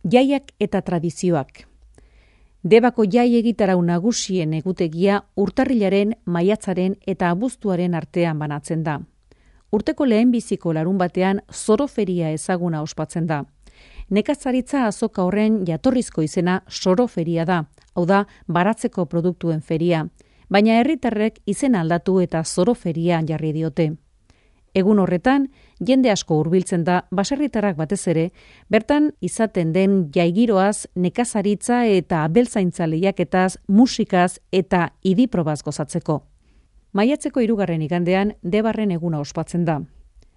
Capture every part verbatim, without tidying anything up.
Jaiak eta tradizioak. Debako jai egitarau nagusien egutegia urtarrilaren, maiatzaren eta abuztuaren artean banatzen da. Urteko lehenbiziko larun batean soroferia ezaguna ospatzen da. Nekazaritza azoka horren jatorrizko izena soroferia da, hau da, baratzeko produktuen feria, baina herritarrek izena aldatu eta soroferia jarri diote. Egun horretan, jende asko hurbiltzen da baserritarrak batez ere, bertan izaten den jaigiroaz, nekazaritza eta abeltzaintza lehiaketaz, musikaz eta idiprobaz gozatzeko. Maiatzeko hirugarren igandean Debarren eguna ospatzen da.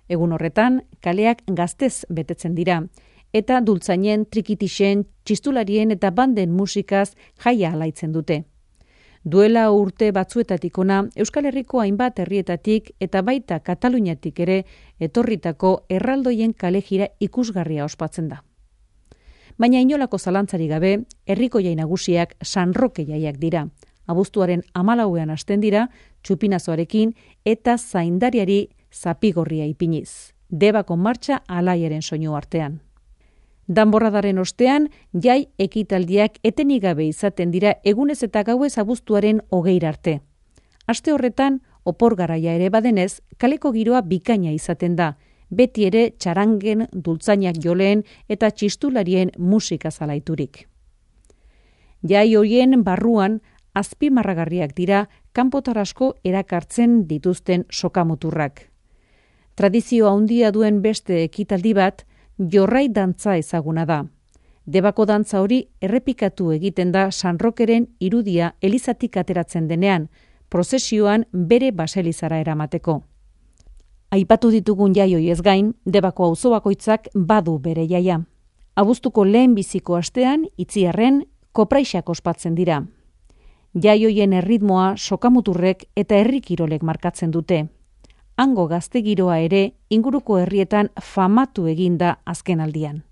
Egun horretan, kaleak gaztez betetzen dira, eta dultzainen, trikitixen, txistularien eta banden musikaz jaia alaitzen dute. Duela urte batzuetatik ona, Euskal Herriko hainbat herrietatik eta baita Kataluniatik ere etorritako erraldoien kalejira ikusgarria ospatzen da. Baina inolako zalantzari gabe, herriko jai nagusiak San Roke jaiak dira. Abuztuaren hamalauean hasten dira, txupinazoarekin eta zaindariari zapigorria ipiniz. Debako martxa alaiaren soinu artean. Danborradaren ostean, jai ekitaldiak etenik gabe izaten dira egunez eta gauez abuztuaren hogeira arte. Aste horretan, opor garaia ere badenez, kaleko giroa bikaina izaten da, beti ere txarangen, dultzainak joleen eta txistularien musika zalaiturik. Jai horien barruan, azpimarragarriak dira kanpotar asko erakartzen dituzten sokamuturrak. Tradizio handia duen beste ekitaldi bat, jorrai dantza ezaguna da. Debako dantza hori errepikatu egiten da San Rokeren irudia elizatik ateratzen denean, prozesioan bere baselizara eramateko. Aipatu ditugun jai hoiez gain, Debako auzo bakoitzak badu bere jaia. Abuztuko lehenbiziko astean, Itziarren, kopraixak ospatzen dira. Jai hoien erritmoa sokamuturrek eta herri kirolek markatzen dute. Hango gazte giroa ere inguruko herrietan famatu eginda azken aldian.